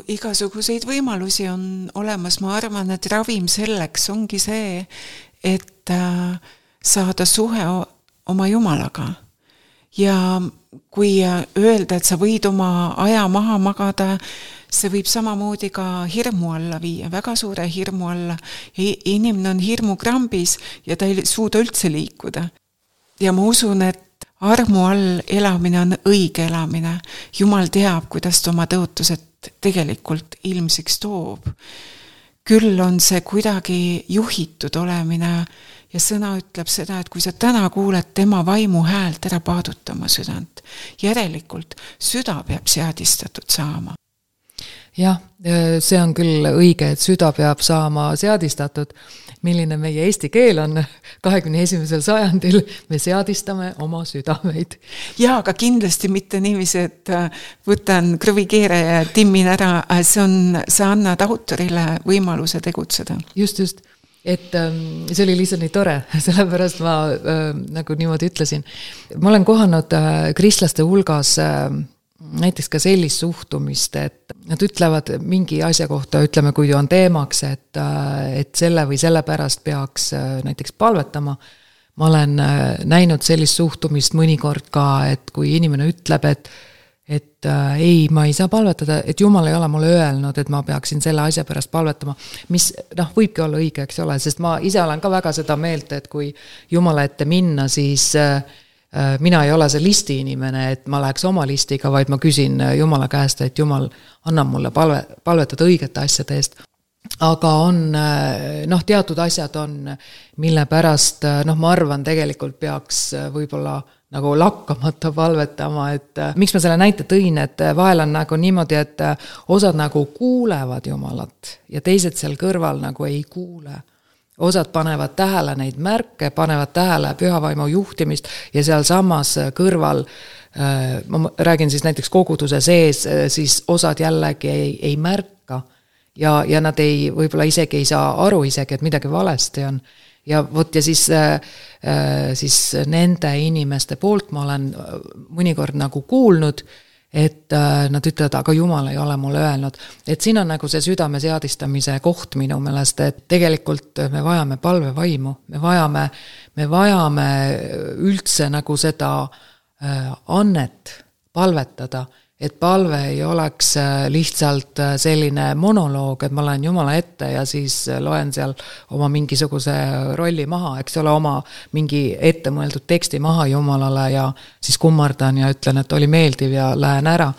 Igasuguseid võimalusi on olemas, ma arvan, et ravim selleks ongi see, et saada suhe oma Jumalaga. Ja kui öelda, et sa võid oma aja maha magada, see võib samamoodi ka hirmu alla viia, väga suure hirmu alla. Inimene on hirmukrambis ja ta ei suuda üldse liikuda. Ja ma usun, et armu all elamine on õige elamine. Jumal teab, kuidas ta oma tõotused tegelikult ilmsiks toob. Küll on see kuidagi juhitud olemine ja sõna ütleb seda, et kui sa täna kuuled tema vaimu häält, ära paaduta oma südant. Järelikult süda peab seadistatud saama. Jah, see on küll õige, et süda peab saama seadistatud. Milline meie eesti keel on 21. sajandil, me seadistame oma südameid. Ja, aga kindlasti mitte niiviisi, et võtan krõvikeere ja timmin ära, see annad autorile võimaluse tegutseda. Just. et see oli lihtsalt nii tore, sellepärast ma nagu niimoodi ütlesin. Ma olen kohanud kristlaste hulgas näiteks ka sellist suhtumist, et nad ütlevad mingi asja kohta, ütleme, kui on teemaks, et selle või selle pärast peaks näiteks palvetama. Ma olen näinud sellist suhtumist mõnikord ka, et kui inimene ütleb, et ei, ma ei saa palvetada, et Jumal ei ole mulle öelnud, et ma peaksin selle asja pärast palvetama, mis võibki olla õige, eks ole, sest ma ise olen ka väga seda meelt, et kui Jumala ette minna, siis mina ei ole see listi inimene, et ma läheks oma listiga, vaid ma küsin Jumala käest, et Jumal annab mulle palvetada õigete asjade eest. Aga on, teatud asjad on, mille pärast, ma arvan, tegelikult peaks võib-olla nagu lakkamata palvetama, et miks ma selle näite tõin, et vahel on nagu niimoodi, et osad nagu kuulevad Jumalat ja teised seal kõrval nagu ei kuule. Osad panevad tähele neid märke, panevad tähele pühavaimu juhtimist ja seal samas kõrval, ma räägin siis näiteks koguduse sees, siis osad jällegi ei märka ja nad võib-olla isegi ei saa aru isegi, et midagi valesti on. Ja vot ja siis nende inimeste poolt ma olen mõnikord nagu kuulnud, et nad ütlevad, aga Jumal ei ole mulle öelnud. Et siin on nagu see südame seadistamise koht minu meelest, et tegelikult me vajame palvevaimu, me vajame üldse nagu seda annet palvetada, et palve ei oleks lihtsalt selline monoloog, et ma lähen Jumala ette ja siis loen seal oma mingisuguse rolli maha, eks ole, oma mingi ettemõeldud teksti maha Jumalale ja siis kummardan ja ütlen, et oli meeldiv ja lähen ära,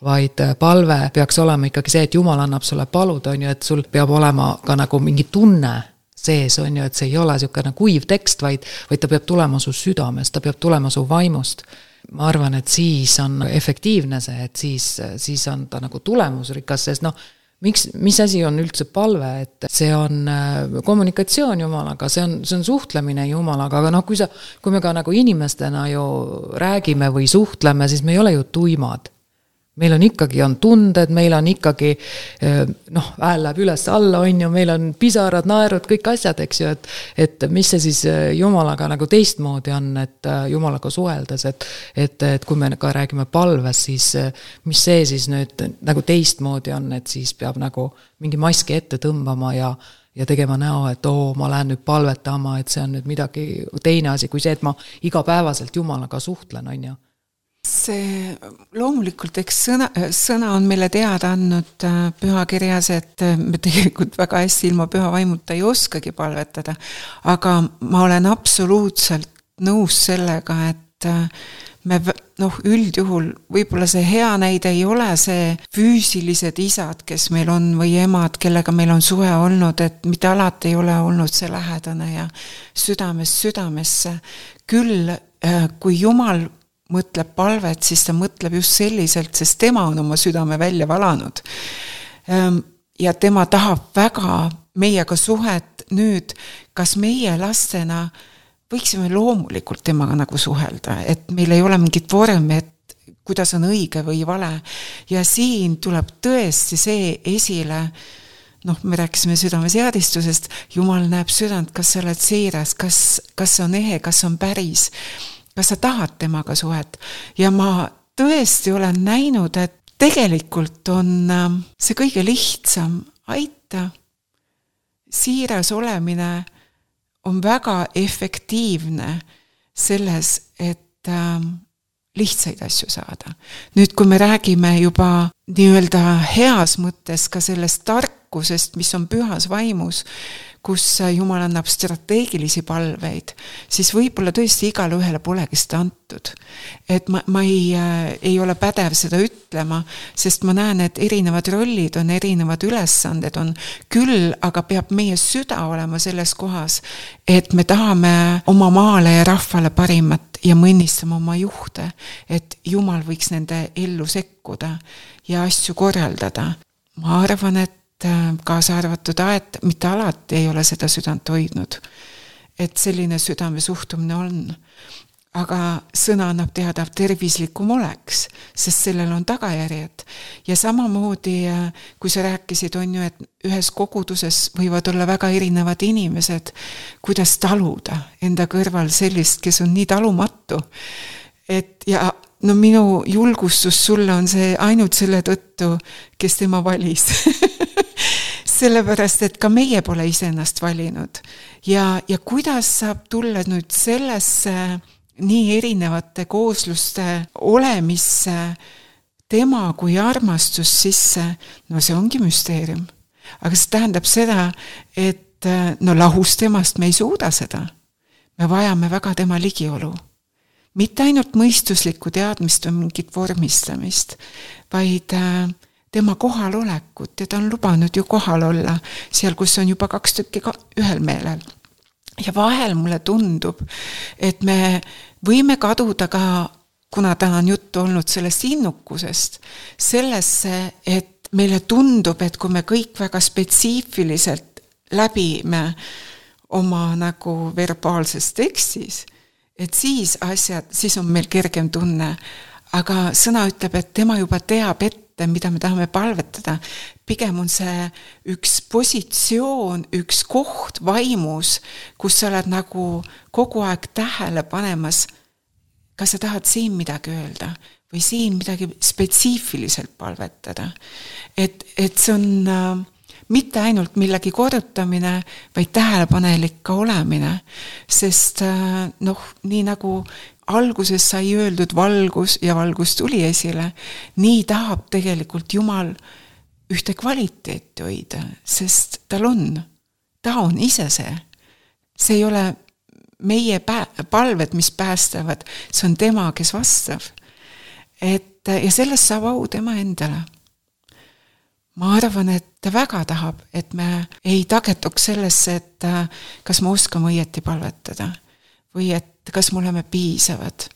vaid palve peaks olema ikkagi see, et Jumal annab sulle palud, on ju, et sul peab olema ka nagu mingi tunne sees, on ju, et see ei ole niisugune kuiv tekst, vaid ta peab tulema su südamest, ta peab tulema su vaimust. Ma arvan, et siis on efektiivne see, et siis on ta nagu tulemusrikas, sest mis asi on üldse palve, et see on kommunikatsioon Jumalaga, see on suhtlemine Jumalaga, aga kui me ka nagu inimestena ju räägime või suhtleme, siis me ei ole ju tuimad. Meil on ikkagi tunded, meil on ikkagi, hääl läheb üles alla, on ju, meil on pisarad, naerud, kõik asjad, eks ju, et mis see siis Jumalaga nagu teistmoodi on, et Jumalaga suheldes, et kui me ka räägime palves, siis mis see siis nüüd nagu teistmoodi on, et siis peab nagu mingi maski ette tõmbama ja tegema näo, et ma lähen nüüd palvetama, et see on nüüd midagi teine asi kui see, et ma igapäevaselt Jumalaga suhtlen, on ju. See loomulikult, eks sõna on meile teada andnud pühakirjas, et me tegelikult väga hästi ilma püha vaimuta ei oskagi palvetada, aga ma olen absoluutselt nõus sellega, et me üldjuhul võib-olla see hea näide ei ole see füüsilised isad, kes meil on või emad, kellega meil on suhe olnud, et mitte alati ei ole olnud see lähedane ja südamesse. Küll, kui Jumal mõtleb palvet, siis ta mõtleb just selliselt, sest tema on oma südame välja valanud. Ja tema tahab väga meiega suhet nüüd, kas meie lastena võiksime loomulikult temaga nagu suhelda, et meil ei ole mingit vormi, et kuidas on õige või vale. Ja siin tuleb tõesti see esile, me rääkisime südameseadistusest, Jumal näeb südant, kas sa oled siiras, kas see on ehe, kas on päris, kas sa tahad temaga suhet. Ja ma tõesti olen näinud, et tegelikult on see kõige lihtsam aita. Siiras olemine on väga efektiivne selles, et lihtsaid asju saada. Nüüd, kui me räägime juba nii-öelda heas mõttes ka sellest tarkusest, mis on pühas vaimus, kus Jumal annab strateegilisi palveid, siis võib-olla tõesti igale ühele polegi seda antud. Et ma ei ole pädev seda ütlema, sest ma näen, et erinevad rollid on, erinevad ülesanded on küll, aga peab meie süda olema selles kohas, et me tahame oma maale ja rahvale parimat ja mõnnistame oma juhte, et Jumal võiks nende ellu sekkuda ja asju korraldada. Ma arvan, et kaasa arvatud aed, mitte alati ei ole seda südant hoidnud. Et selline südame suhtumine on. aga sõna annab teada tervislikum oleks, sest sellel on tagajärjed. Ja samamoodi, kui sa rääkisid, on ju, et ühes koguduses võivad olla väga erinevad inimesed, kuidas taluda enda kõrval sellist, kes on nii talumatu. Et ja no minu julgustus sulle on see ainult selle tõttu, kes tema valis. Sellepärast, et ka meie pole iseennast valinud. Ja kuidas saab tulla nüüd sellesse nii erinevate koosluste olemisse tema kui armastus sisse, no see ongi müsteerium. Aga see tähendab seda, et no lahus temast me ei suuda seda. Me vajame väga tema ligiolu. Mitte ainult mõistuslikku teadmist või mingit vormistamist, vaid tema kohalolekut, ja ta on lubanud ju kohal olla seal, kus on juba 2 tükki ühel meelel. Ja vahel mulle tundub, et me võime kaduda ka, kuna täna on juttu olnud sellest innukusest, sellesse, et meile tundub, et kui me kõik väga spetsiifiliselt läbime oma nagu verbaalses tekstis, et siis on meil kergem tunne, aga sõna ütleb, et tema juba teab ette, mida me tahame palvetada. Pigem on see üks positsioon, üks koht vaimus, kus sa oled nagu kogu aeg tähele panemas, kas sa tahad siin midagi öelda või siin midagi spetsiifiliselt palvetada. Et see on mitte ainult millegi korrutamine, vaid tähelepanelik ka olemine, sest nii nagu alguses sai öeldud valgus ja valgus tuli esile, nii tahab tegelikult Jumal ühte kvaliteeti hoida, sest ta on ise see. See ei ole meie palved, mis päästavad, see on tema, kes vastab. Ja sellest saab au tema endale. Ma arvan, et ta väga tahab, et me ei tagetuks sellesse, et kas me oskame õieti palvetada või et kas me oleme piisavad,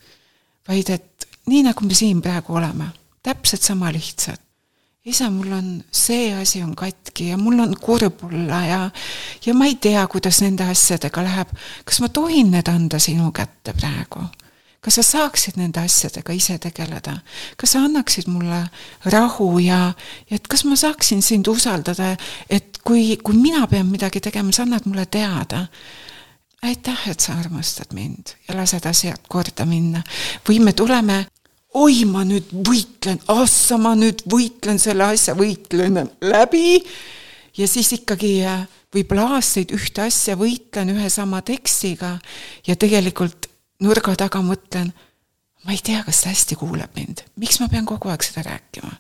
vaid et nii nagu me siin praegu oleme, täpselt sama lihtsalt. Isa, mul on see asi on katki ja mul on kurb olla ja ma ei tea, kuidas nende asjadega läheb. Kas ma tohin need anda sinu kätte praegu? Kas sa saaksid nende asjadega ise tegeleda? Kas sa annaksid mulle rahu ja et kas ma saaksin sind usaldada, et kui mina pean midagi tegema, sa annad mulle teada. Aitäh, et sa armastad mind ja lased asjad korda minna. Või me tuleme, oi, ma nüüd võitlen selle asja, võitlen läbi ja siis ikkagi võib-olla aastaid ühte asja võitlen ühe sama tekstiga ja tegelikult nurga taga mõtlen, ma ei tea, kas ta hästi kuuleb mind. Miks ma pean kogu aeg seda rääkima?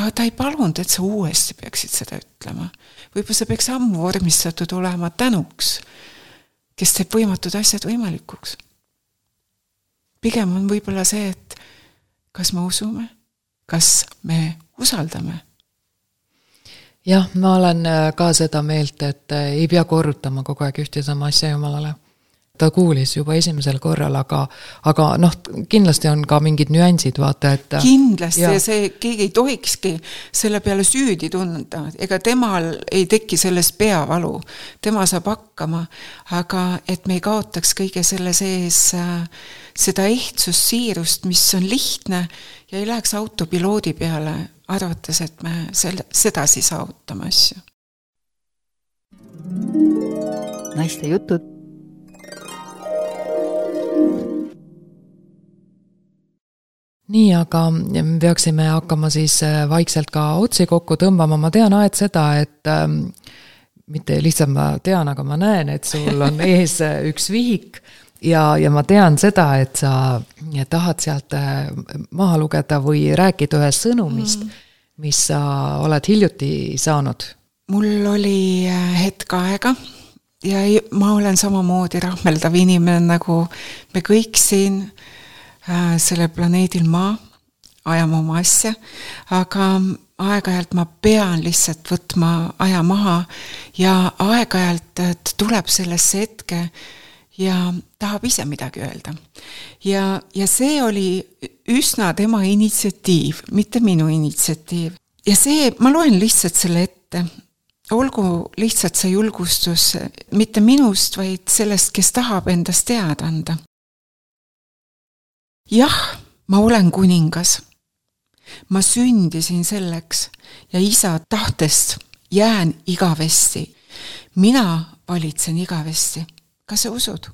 Aga ta ei palunud, et sa uuesti peaksid seda ütlema. Võib-olla see peaks ammu vormistatud olema tänuks, kes teeb võimatud asjad võimalikuks. Pigem on võib-olla see, et kas me usume, kas me usaldame. Jah, ma olen ka seda meelt, et ei pea korrutama kogu aeg ühte sama asja Jumalale. Ta kuulis juba esimesel korral, aga kindlasti on ka mingid nüansid, vaata, et kindlasti ja see keegi ei tohikski selle peale süüdi tunda, ega temal ei teki sellest peavalu, tema saab hakkama, aga et me ei kaotaks kõige selle sees seda ehtsust, siirust, mis on lihtne ja ei läheks autopiloodi peale, arvates, et me sedasi saavutame asju. Naiste jutud. Nii, aga me peaksime hakkama siis vaikselt ka otsi kokku tõmbama. Ma tean aed seda, et mitte lihtsalt ma tean, aga ma näen, et sul on ees üks vihik ja ma tean seda, et sa tahad sealt maha lugeda või rääkida ühest sõnumist, mis sa oled hiljuti saanud. Mul oli hetk aega ja ma olen samamoodi rahmeldav inimene, nagu me kõik siin selle planeedil Maa, ajame oma asja, aga aeg-ajalt ma pean lihtsalt võtma aja maha ja aeg-ajalt tuleb sellesse hetke ja tahab ise midagi öelda. Ja see oli üsna tema initsiatiiv, mitte minu initsiatiiv. Ja see, ma loen lihtsalt selle ette. Olgu lihtsalt see julgustus mitte minust, vaid sellest, kes tahab endast teada anda. Jah, ma olen kuningas. Ma sündisin selleks ja isa tahtest jään igavesti. Mina valitsen igavesti. Kas sa usud?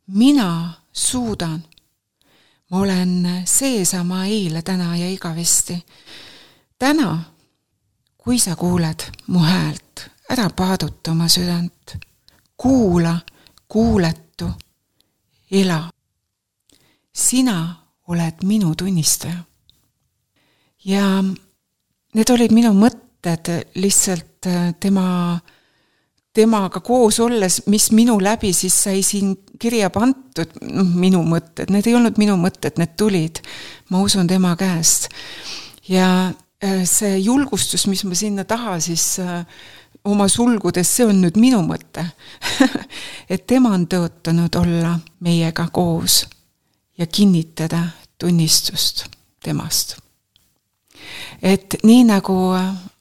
Mina suudan. Ma olen seesama eile, täna ja igavesti. Täna, kui sa kuuled mu häält, ära paaduta oma südant. Kuula, kuuletu, ela. Sina oled minu tunnistaja. Ja need olid minu mõtted lihtsalt temaga koos olles, mis minu läbi siis sai siin kirja pantud, minu mõtted. Need ei olnud minu mõtted, need tulid, ma usun tema käest. Ja see julgustus, mis ma sinna taha siis oma sulgudes, see on nüüd minu mõte. Et tema on tõotanud olla meiega koos ja kinnitada tunnistust temast. Et nii nagu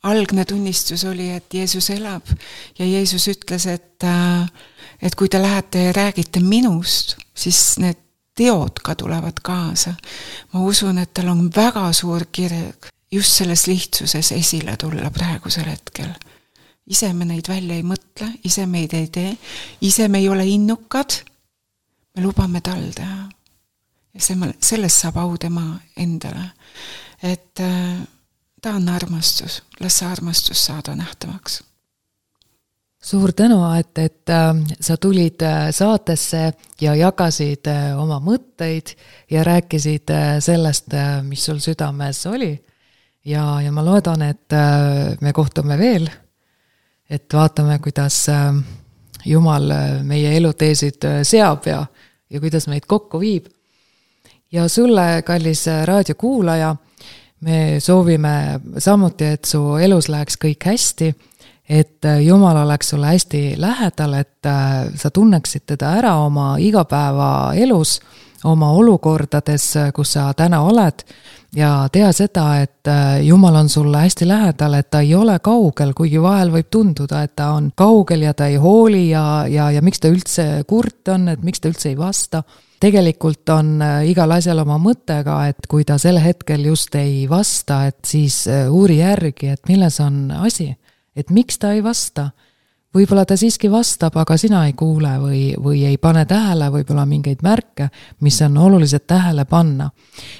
algne tunnistus oli, et Jeesus elab ja Jeesus ütles, et kui te lähete ja räägite minust, siis need teod ka tulevad kaasa. Ma usun, et tal on väga suur kirg just selles lihtsuses esile tulla praegusel hetkel. Ise me neid välja ei mõtle, ise me ei tee, ise me ei ole innukad, me lubame tal teha. Ja sellest saab au tema endale. Et ta on armastus, las armastus saada nähtavaks. Suur tänu, et sa tulid saatesse ja jagasid oma mõtteid ja rääkisid sellest, mis sul südames oli. Ja ma loodan, et me kohtume veel, et vaatame, kuidas Jumal meie eluteesid seab ja kuidas meid kokku viib. Ja sulle, kallis raadiokuulaja, me soovime samuti, et su elus läheks kõik hästi, et Jumal oleks sulle hästi lähedal, et sa tunneksid teda ära oma igapäeva elus, oma olukordades, kus sa täna oled, ja tea seda, et Jumal on sulle hästi lähedal, et ta ei ole kaugel, kuigi vahel võib tunduda, et ta on kaugel ja ta ei hooli ja miks ta üldse kurt on, et miks ta üldse ei vasta. Tegelikult on igal asjal oma mõttega, et kui ta selle hetkel just ei vasta, et siis uuri järgi, et milles on asi, et miks ta ei vasta. Võib-olla ta siiski vastab, aga sina ei kuule või ei pane tähele võib-olla mingeid märke, mis on oluliselt tähele panna.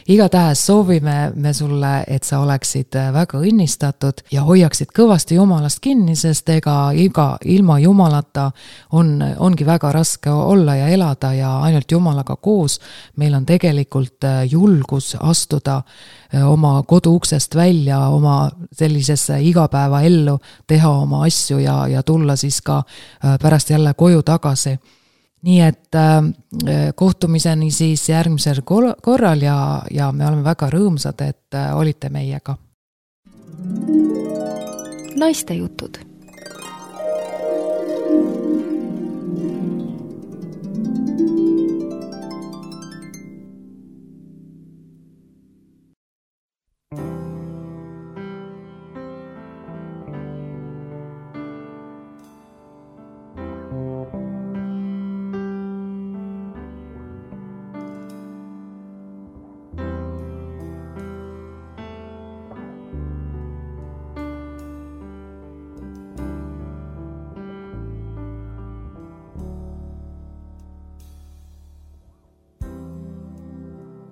Igatahes soovime me sulle, et sa oleksid väga õnnistatud ja hoiaksid kõvasti Jumalast kinni, sest ilma Jumalata ongi väga raske olla ja elada ja ainult Jumalaga koos meil on tegelikult julgus astuda oma koduuksest välja, oma sellisesse igapäeva ellu, teha oma asju ja tulla siis ka pärast jälle koju tagasi. Nii et kohtumiseni siis järgmisel korral ja me oleme väga rõõmsad, et olite meiega. Naiste jutud.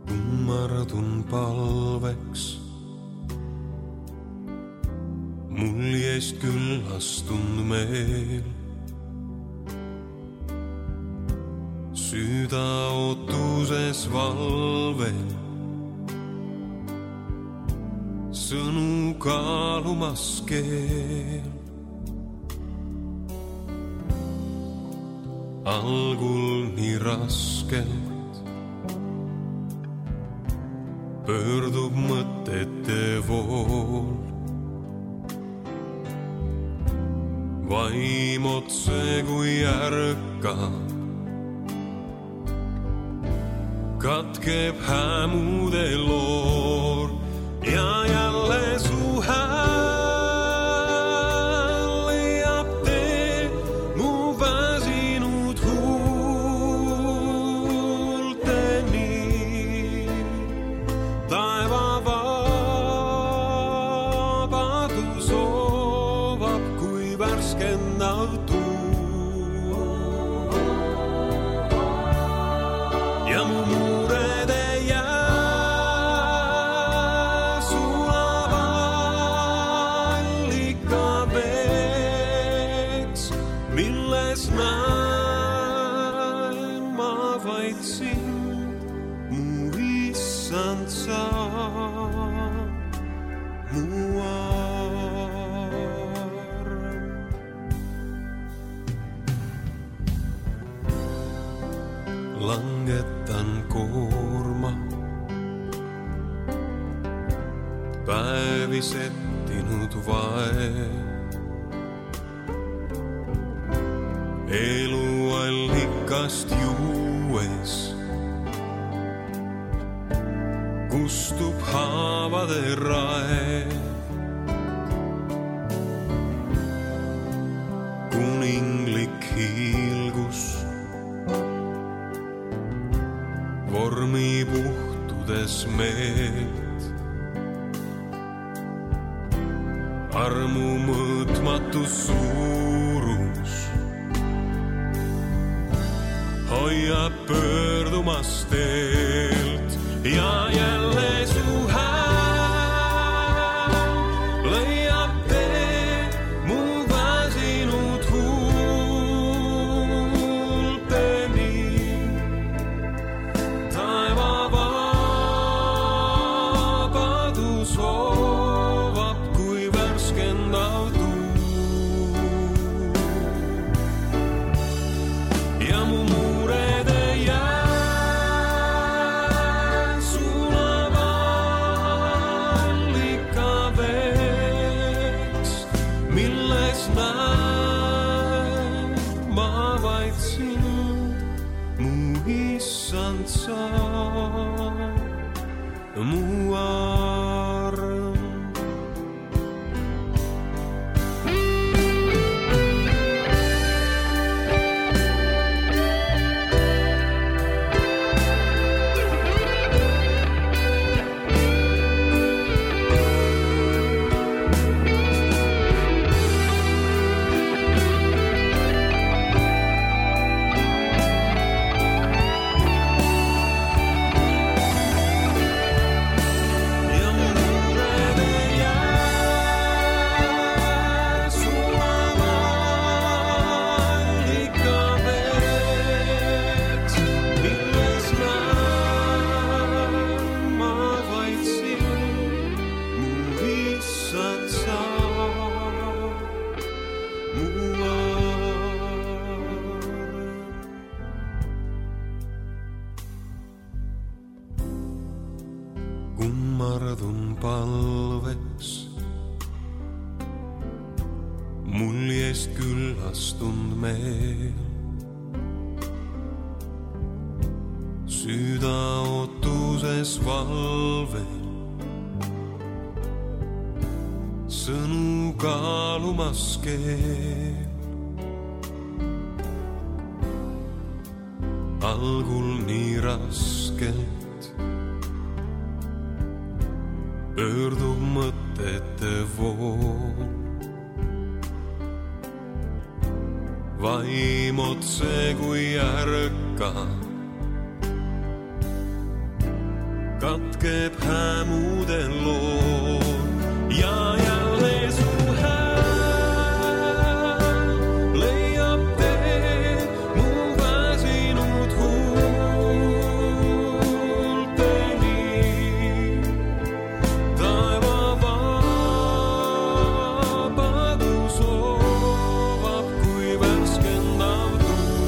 Kummardun palveks, mul jäist küllastund meel. Süda ootuses valvel, sõnu kaalumas keel. Algul nii raskelt pöördub mõtete vool. Vaim otse kui ärkab, katkeb hämude loor ja jälle su hääl leiab tee mu väsinud huulteni. issand sa, mu arm. Langetan koorma, päevi settinud vae. Eluallikast juues kustub haavade rae. Kuninglik hiilgus vormi puhtudes meelt. Armu mõõtmatu suurus hoiab pöördumas teelt ja jälle su hääl leiab tee mu väsinud huulteni. Taeva vabadus hoovab kui värskendav tuul ja mu mu arm. Kummardun palveks muljest küllastund meel. Süda ootuses valvel, sõnu kaalumas keel. Algul nii raskelt pöördub mõtete vool. Vaim otse kui ärka, katkeb hämude lool ja jälle su hääl leiab tee mu väsinud huulteni. Taeva vabadus hoovab kui värskendav tuul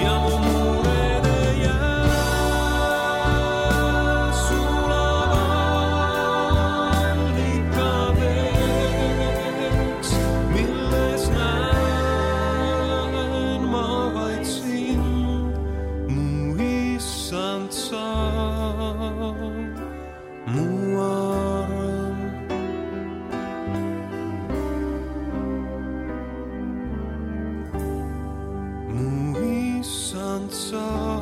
ja mu murede jää sulavad allikaveks, milles näen ma vaid sind, mu issand sa, mu arm. Mu issand sa.